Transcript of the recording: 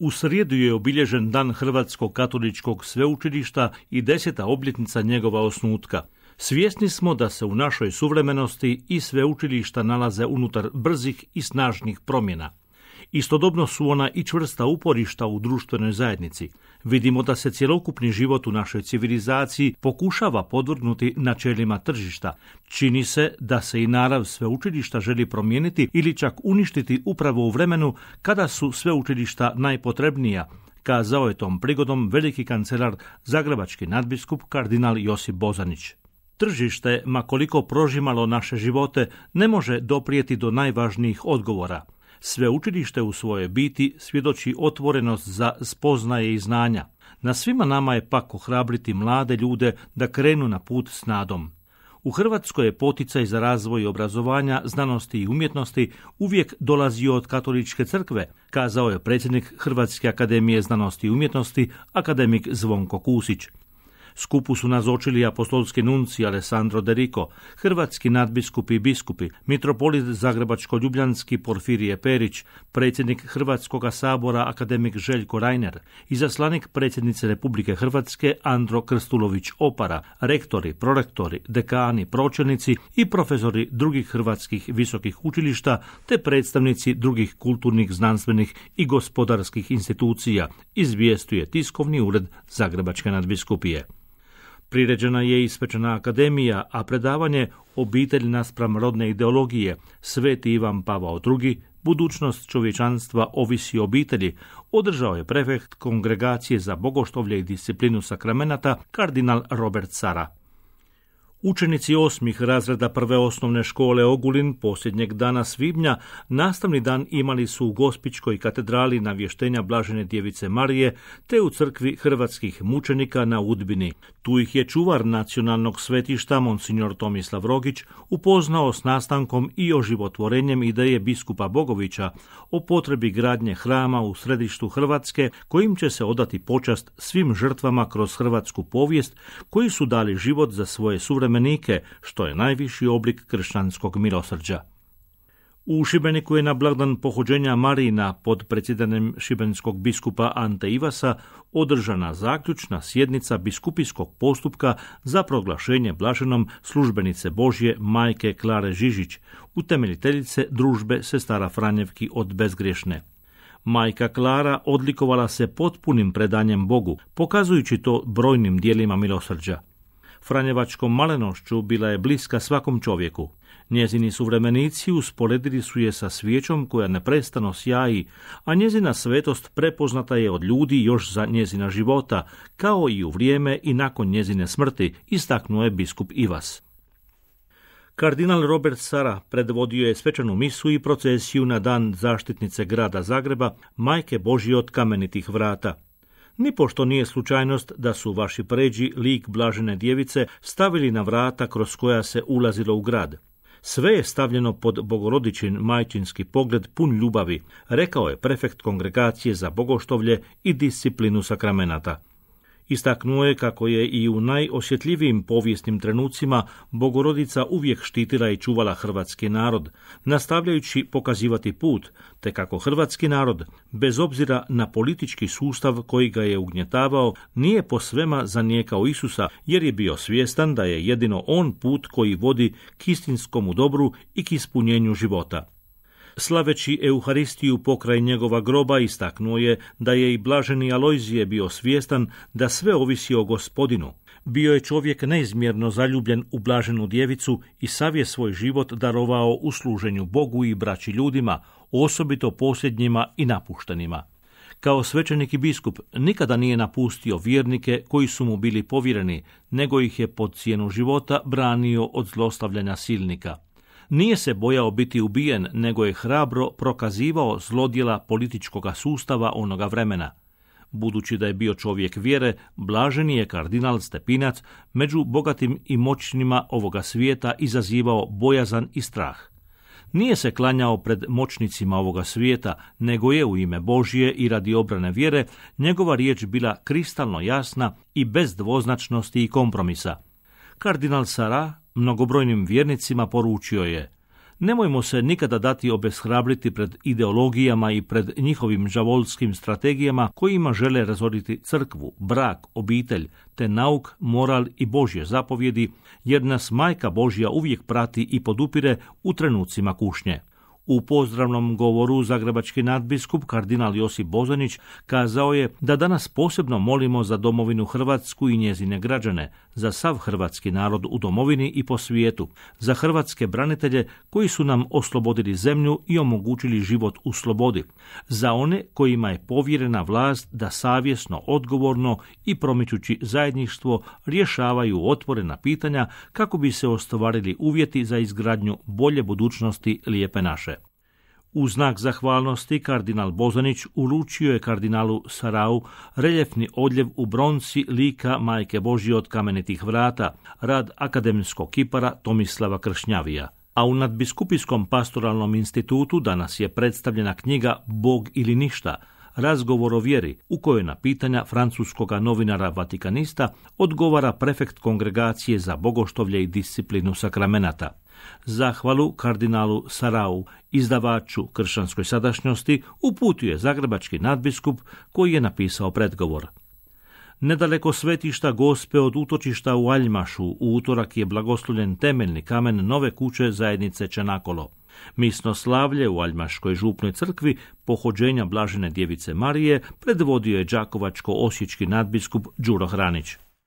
U srijedu je obilježen Dan Hrvatskog katoličkog sveučilišta i 10. obljetnica njegova osnutka. Svjesni smo da se u našoj suvremenosti i sveučilišta nalaze unutar brzih i snažnih promjena. Istodobno su ona i čvrsta uporišta u društvenoj zajednici. Vidimo da se cjelokupni život u našoj civilizaciji pokušava podvrgnuti načelima tržišta. Čini se da se i narav sveučilišta želi promijeniti ili čak uništiti upravo u vremenu kada su sveučilišta najpotrebnija, kazao je tom prigodom veliki kancelar, zagrebački nadbiskup kardinal Josip Bozanić. Tržište, ma koliko prožimalo naše živote, ne može doprijeti do najvažnijih odgovora. Sveučilište u svojoj biti svjedoči otvorenost za spoznaje i znanja. Na svima nama je pak ohrabriti mlade ljude da krenu na put s nadom. U Hrvatskoj je poticaj za razvoj obrazovanja, znanosti i umjetnosti uvijek dolazio od Katoličke crkve, kazao je predsjednik Hrvatske akademije znanosti i umjetnosti, akademik Zvonko Kusić. Skupu su nazočili apostolski nunci Alessandro De Rico, hrvatski nadbiskupi i biskupi, mitropolit zagrebačko-ljubljanski Porfirije Perić, predsjednik Hrvatskoga sabora akademik Željko Reiner, izaslanik predsjednice Republike Hrvatske Andro Krstulović Opara, rektori, prorektori, dekani, pročelnici i profesori drugih hrvatskih visokih učilišta te predstavnici drugih kulturnih, znanstvenih i gospodarskih institucija, izvijestuje tiskovni ured Zagrebačke nadbiskupije. Priređena je i svečana akademija, a predavanje Obitelj naspram rodne ideologije, Sveti Ivan Pavao II, budućnost čovječanstva ovisi o obitelji, održao je prefekt Kongregacije za bogoštovlje i disciplinu sakramenata, kardinal Robert Sara. Učenici 8. razreda prve osnovne škole Ogulin posljednjeg dana svibnja nastavni dan imali su u Gospićkoj katedrali navještenja Blažene djevice Marije te u crkvi hrvatskih mučenika na Udbini. Tu ih je čuvar nacionalnog svetišta monsignor Tomislav Rogić upoznao s nastankom i oživotvorenjem ideje biskupa Bogovića o potrebi gradnje hrama u središtu Hrvatske kojim će se odati počast svim žrtvama kroz hrvatsku povijest koji su dali život za svoje suvremenike, što je najviši oblik kršćanskog milosrđa. U Šibeniku je na blagdan pohođenja Marijina pod predsjedanjem šibenskog biskupa Ante Ivasa održana zaključna sjednica biskupijskog postupka za proglašenje blaženom službenice Božje majke Klare Žižić, utemeljiteljice družbe sestara Franjevki od bezgriješne. Majka Klara odlikovala se potpunim predanjem Bogu, pokazujući to brojnim dijelima milosrđa. Franjevačkom malenošću bila je bliska svakom čovjeku. Njezini suvremenici usporedili su je sa svijećom koja neprestano sjaji, a njezina svetost prepoznata je od ljudi još za njezina života, kao i u vrijeme i nakon njezine smrti, istaknuo je biskup Ivas. Kardinal Robert Sara predvodio je svečanu misu i procesiju na dan zaštitnice grada Zagreba, Majke Božje od kamenitih vrata. Nipošto nije slučajnost da su vaši pređi lik Blažene djevice stavili na vrata kroz koja se ulazilo u grad. Sve je stavljeno pod bogorodičin majčinski pogled pun ljubavi, rekao je prefekt Kongregacije za bogoštovlje i disciplinu sakramenata. Istaknuo je kako je i u najosjetljivijim povijesnim trenucima Bogorodica uvijek štitila i čuvala hrvatski narod, nastavljajući pokazivati put, te kako hrvatski narod, bez obzira na politički sustav koji ga je ugnjetavao, nije posvema zanijekao Isusa, jer je bio svjestan da je jedino on put koji vodi k istinskomu dobru i k ispunjenju života. Slaveći Euharistiju pokraj njegova groba istaknuo je da je i blaženi Alojzije bio svjestan da sve ovisi o Gospodinu. Bio je čovjek neizmjerno zaljubljen u blaženu djevicu i sav je svoj život darovao u služenju Bogu i braći ljudima, osobito posljednjima i napuštenima. Kao svećenik i biskup nikada nije napustio vjernike koji su mu bili povjereni, nego ih je pod cijenu života branio od zlostavljanja silnika. Nije se bojao biti ubijen, nego je hrabro prokazivao zlodjela političkoga sustava onoga vremena. Budući da je bio čovjek vjere, blaženi je kardinal Stepinac među bogatim i moćnima ovoga svijeta izazivao bojazan i strah. Nije se klanjao pred moćnicima ovoga svijeta, nego je u ime Božje i radi obrane vjere njegova riječ bila kristalno jasna i bez dvoznačnosti i kompromisa. Kardinal Sara mnogobrojnim vjernicima poručio je: Nemojmo se nikada dati obeshrabriti pred ideologijama i pred njihovim žavolskim strategijama kojima žele razoriti crkvu, brak, obitelj, te nauk, moral i Božje zapovjedi, jer nas Majka Božja uvijek prati i podupire u trenucima kušnje. U pozdravnom govoru zagrebački nadbiskup kardinal Josip Bozanić kazao je da danas posebno molimo za domovinu Hrvatsku i njezine građane, za sav hrvatski narod u domovini i po svijetu, za hrvatske branitelje koji su nam oslobodili zemlju i omogućili život u slobodi, za one kojima je povjerena vlast da savjesno, odgovorno i promičući zajedništvo rješavaju otvorena pitanja kako bi se ostvarili uvjeti za izgradnju bolje budućnosti lijepe naše. U znak zahvalnosti kardinal Bozanić uručio je kardinalu Sarau reljefni odljev u bronci lika Majke Božje od kamenitih vrata, rad akademskog kipara Tomislava Kršnjavija. A u nadbiskupijskom pastoralnom institutu danas je predstavljena knjiga Bog ili ništa, razgovor o vjeri, u kojoj na pitanja francuskoga novinara Vatikanista odgovara prefekt kongregacije za bogoštovlje i disciplinu sakramenata. Zahvalu kardinalu Sarau, izdavaču Kršćanskoj sadašnjosti, uputio je zagrebački nadbiskup koji je napisao predgovor. Nedaleko svetišta Gospe od utočišta u Aljmašu u utorak je blagoslovljen temeljni kamen nove kuće zajednice Čenakolo. Misno slavlje u Aljmaškoj župnoj crkvi pohođenja Blažene djevice Marije predvodio je đakovačko-osječki nadbiskup Đuro Hranić.